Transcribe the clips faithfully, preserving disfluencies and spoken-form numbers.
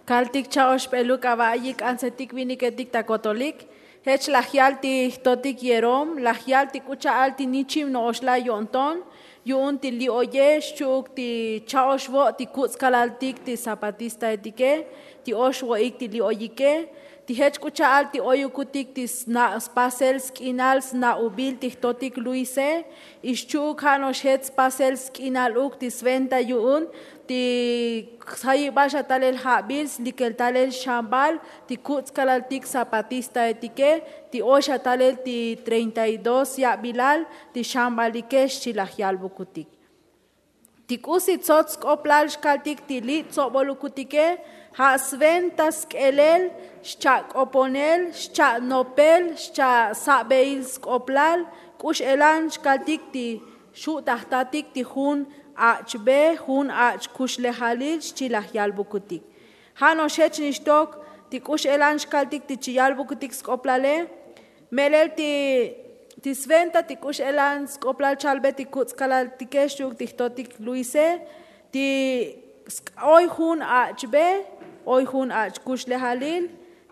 Kaltik cha'oxp'eluk ava'ayik k'antsetik viniketik ta kotolik. Jech laj yal ti jtotik yerom, laj yal ti k'u cha'al ti nichim no'oxla yo'nton yu'un ti li'oye xchu'uk ti cha'ox vo' ti kuts' kalaltik ti zapatistaetike, ti ox vo'ik ti li'oyike, ti jech k'u cha'al ti oyukutik ti sna' spasel sk'inal sna'ubil ti jtotik luise. Ixchu'uk ja' no'ox jech spasel sk'inal uk ti sventa yu'un ti sjayibal xa talel ja'bil slikel talel xambal ti kuts' kalaltik zapatistaetike, ti oy xa talel ti treinta y dos ya'bilal ti xambalike xchi laj yal vukutik. Ti k'usi tsots sk'oplal xkaltik ti li' tsobol ukutike ja' sventa sk'elel xcha' k'oponel xcha' nopel xcha' sa'beil sk'oplal. K'u x'elan xkaltik ti xu' ta jtatik ti jun ach' be jun ach' kuxlejalil xchi laj yal vukutik. Ja' no'ox jech nixtok ti k'u x'elan xkaltik ti chi yal vukutik sk'oplale. Melel ti ti sventa ti k'u x'elan sk'oplal chalbe ti kuts' kalaltike xchi'uk ti jtotik luise, ti oy jun ach' be, oy jun ach' kuxlejalil,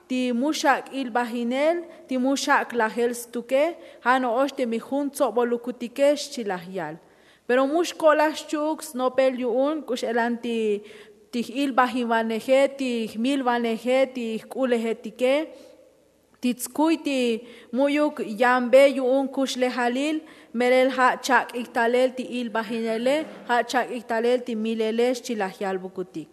ti mu xak' ilbajinel, ti mu xak' lajel stuke. Ja' no'ox teme jun tsobol ukutike xchi laj yal. Pero mu xko'laj xchu'uk snopel yu'un k'u x'elan ti ti j'ilbajinvaneje, ti jmilvaneje, ti jk'ulejetike, ti tskuy ti mu'yuk yanbe yu'un kuxlejalil. Melel ja' chak'ik talel ti ilbajinele, ja' chak'ik talel ti milele xchi laj yal vukutik.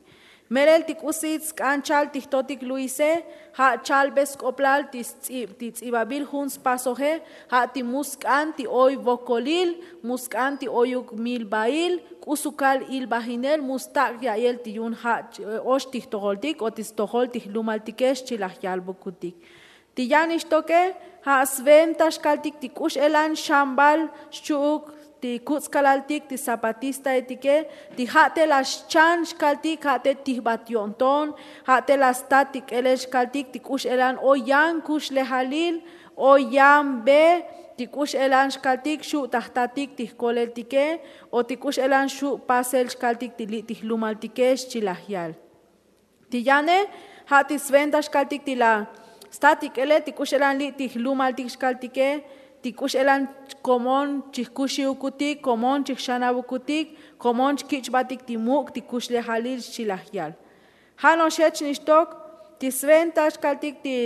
Melel ti k'usi tsk'an chal ti jtotik luise, ja' chalbe sk'oplal ti sts'ib ti ts'ibabil jun spasoje, ja' ti mu sk'an ti oy vokolil, mu sk'an ti oyuk milbail, k'u sukal ilbajinel mu stak' ya'yel ti yu'un ja' ox ti jtojoltik o ti stojol ti jlumaltike xchi laj yal vukutik. Ti yan ixtoke ja' sventa xkaltik ti k'u x'elan xambal xchu'uk ti kuts' kalaltik ti zapatistaetike, ti ja' te laj xchan xkaltik ja' te tijbat yo'nton, ja' te laj stat ti k'elel xkaltik ti k'u x'elan oy yan kuxlejalil, oy yan be, ti k'u x'elan xkaltik xu' ta jtatik ti jkoleltike, o ti k'u x'elan xu' pasel xkaltik ti li' ti jlumaltike xchi laj yal. Ti yane ja' ti sventa xkaltik ti la stat ik'ele ti k'u x'elan li' ti jlumaltik xkaltike, ti k'u x'elan komon chijkuxiukutik, komon chijxanavukutik, komon chkich'batik ti muk' ti kuxlejalil xchi laj yal. Ja' no'ox jech nixtok ti sventa xkaltik ti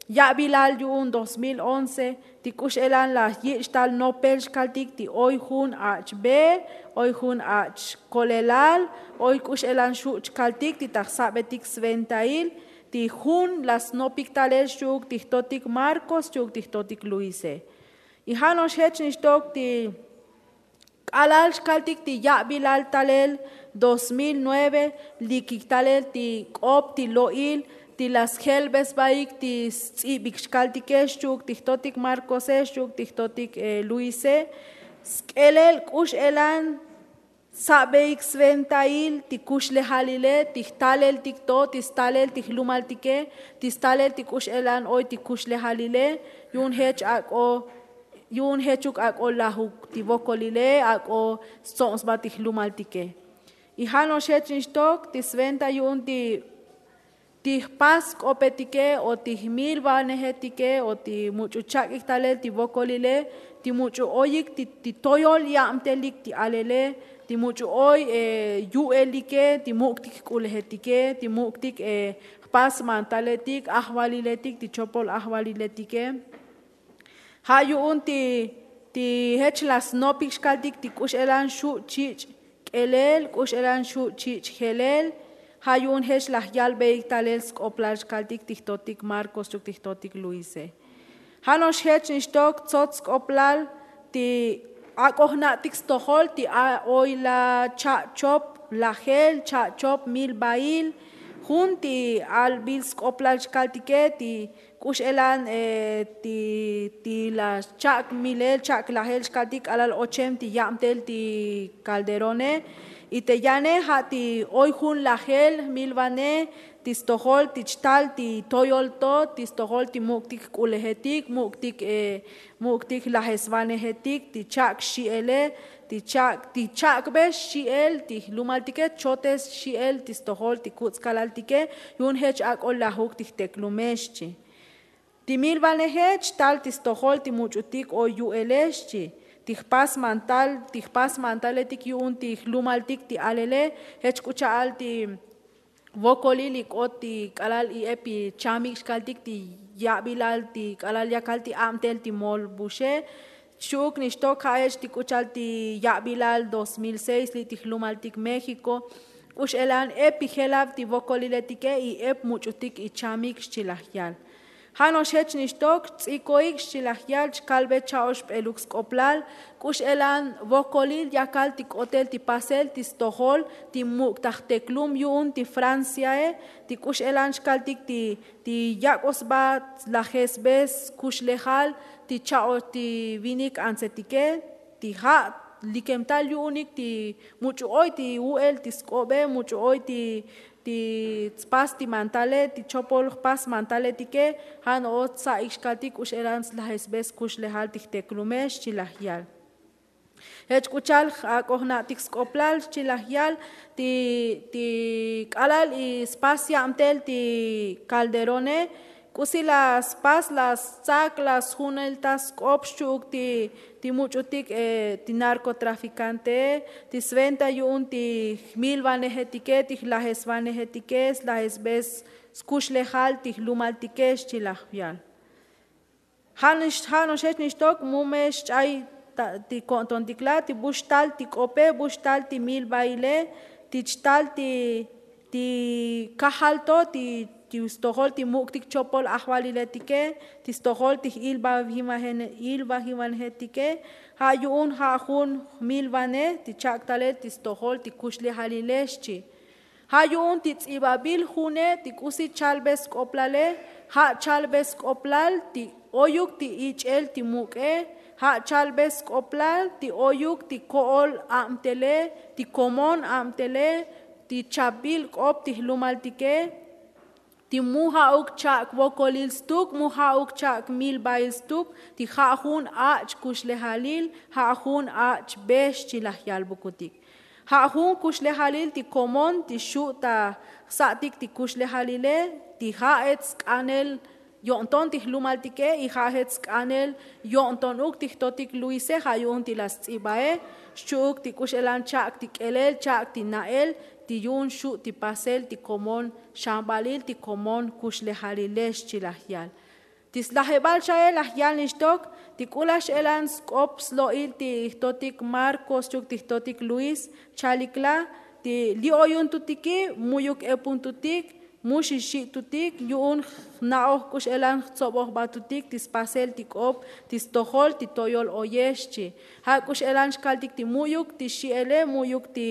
ya'bilal yu'un dos mil once, ti k'u x'elan laj yich' tal nopel xkaltik ti oy jun ach' be, oy jun ach' kolelal, oy k'u x'elan xu' chkaltik ti ta jsa'betik sventail ti jun laj snopik talel xchi'uk ti jtotik marcos xchi'uk ti jtotik luise. Y ja' no'ox jech nixtok ti k'alal xkaltik ti ya'bilal talel dos mil nueve, likik talel ti k'op ti lo'il ti la sjelbesbaik ti sts'ibik xkaltike xchi'uk ti jtotik markose xchi'uk ti jtotik luise. Sk'elel k'u x'elan sa'beik sventail ti kuxlejalile, ti jtaleltik to, ti stalel ti jlumaltike, ti stalel ti k'u x'elan oy ti kuxlejalile. Yu'un jech ak'o yu'un jechuk ak'o lajuk ti vokolile, ak'o stsobsba ti jlumaltike. Y ja' no'ox jech nixtok ti sventa yu'un ti ti jpas sk'opetike o ti jmilvanejetike o ti much'u chak'ik talel ti vokolile, ti much'u oyik ti toyol yabtelik ti alele, ti much'u oy yu'elike, ti muk'tik jk'ulejetike, ti muk'tik jpas mantaletik ajvaliletik ti chopol ajvaliletike. Ja' yu'un ti ti jech laj snopik xkaltik ti k'u x'elan xu' chich' k'elel, k'u x'elan xu' chich' jelel. Ja' yu'un jech laj yalbeik talel sk'oplal xkaltik ti jtotik markos xchi'uk ti jtotik luise. Ja' no'ox jech nixtok tsots sk'oplal ti ak'o jna'tik stojol ti a oy la cha'chop lajel cha'chop milbail. Jun ti albil sk'oplal xkaltike ti k'u x'elan ti ti la cha'k milel cha'k lajel xkaltik k'alal ochem ti yabtel ti kalderone. Y te yane ja' ti oy jun lajel jmilvane ti stojol ti chtal ti toyol to, ti stojol ti muk'tik jk'ulejetik, muk'tik muk'tik jlajesvanejetik ti cha'k xi'ele, Ti cha'k ti cha'kbe xchi'el ti jlumaltike chotes xchi'el ti stojol ti kuts' kalaltike. Yu'un jech ak'o lajuk ti jteklume xchi. Ti milvaneje chtal ti stojol ti much'utik o yu'ele xchi. Ti jpas mantal ti jpas mantaletik yu'un ti jlumaltik ti alele. Jech k'u cha'al ti vokolil ik'ot ti k'alal i'ep ichamik xkaltik ti ya'bilal ti k'alal yakal ti abtel ti molbuxe. Xchu'uk nixtok ja'ech ti k'u cha'al ti ya'bilal dos mil seis li' ti jlumaltik méxiko. K'u x'elan ep ijelab ti vokoliletike i'ep much'utik ichamik xchi laj yal. Ja' no'ox jech nixtok chtz'ikoik xchi laj yal chkalbe cha'oxp'eluk sk'oplal. K'u x'elan vokolil yakal ti k'otel ti pasel ti stojol ti muk' ta jteklum yu'un ti franciae. Ti k'u x'elan xkaltik ti ti yak'o sba lajesbe skuxlejal ti cha'o ti vinik antsetike. Ti ja' likemtal yu'unik ti much'u oy ti u'el ti sk'obe much'u oy ti ti tspas ti mantale ti chopol jpas mantaletike. Ja' no'ox tsa'ik xkaltik k'u x'elan slajesbe skuxlejal ti jteklume xchi laj yal. Jech k'u cha'al ak'o jna'tik sk'oplal xchi laj yal ti ti k'alal ispas yabtel ti calderone. K'usi la spas la stsak la sjunel ta sk'op xchu'uk ti ti much'utik ti narkotrafikantee ti sventa yu'un ti jmilvanejetike ti jlajesvanejetike slajesbe skuxlejal ti jlumaltike xchi laj yal. Ja' no'ox jech nixtok mu me xch'ay ti ko'ntontikla ti bu xtal ti k'ope bu xtal ti milvaile ti chtal ti ti kajal to ti stojol ti muk'tik chopol ajvaliletike ti stojol ti j'ilvajivanejetike. Ja' yu'un ja' jun jmilvane ti chak'talel ti stojol ti kuxlejalile xchi. Ja' yu'un ti ts'ibabil june ti k'usi chalbe sk'oplale. Ja' chalbe sk'oplal ti oyuk ti ich'el ti muk'e. Ja' chalbe sk'oplal ti oyuk ti ko'ol abtele ti komon abtele ti chabil k'op ti jlumaltike. Ti mu ja'uk cha'k vokolil stuk mu ja'uk cha'k milvail stuk ti ja' jun ach' kuxlejalil ja' jun ach' be xchi laj yal vukutik. Ja' jun kuxlejalil ti komon ti xu' ta jsa'tik ti kuxlejalile ti ja' et sk'anel yo'nton ti jlumaltike y ja' jech sk'anel yo'ntonuk ti jtotik luise ja' yu'un ti la sts'ibae. Xchu'uk ti k'u x'elan cha'k ti k'elel cha'k ti na'el ti yu'un xu' ti pasel ti komon xanbalil ti komon kuxlejalile xchi laj yal. Ti slajebal cha'e laj yal nixtok ti k'u laj x'elan sk'op slo'il ti jtotik marko xchu'uk ti jtotik luis chalikla ti li' oyuntutiki mu'yuk epuntutik mu xixi'tutik yu'un jna'oj k'u x'elan jtsobojbatutik ti spasel ti k'op ti stojol ti toyol oyex xchi. Ja' k'u x'elan xkaltik ti mu'yuk ti xi'ele mu'yuk ti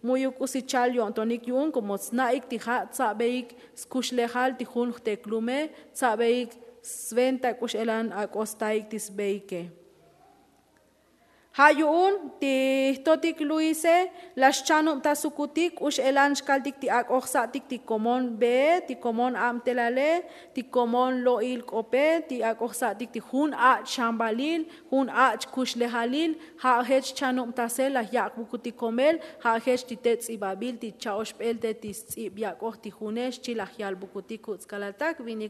mu'yuk k'usi chal yo'ntonik yu'un komo tsna'ik ti ja' tsa'beik skuxlejal ti jun jteklume tsa'beik sventa k'u x'elan ak'o staik ti sbeike. Ja' yu'un ti jtotik luise la xchanubtasukutik k'u x'elan xkaltik ti ak'o jsa'tik ti komon bee ti komon abtelale ti komon lo'il k'ope ti ak'o jsa'tik ti jun ach' xanbalil jun ach' kuxlejalil. Ja' jech chanubtasel laj yak' vukutik komel ja' jech ti te ts'ibabil ti cha'oxp'el te ti sts'ib yak'oj ti june xchi laj yal vukutik kuts' kalaltak vinik.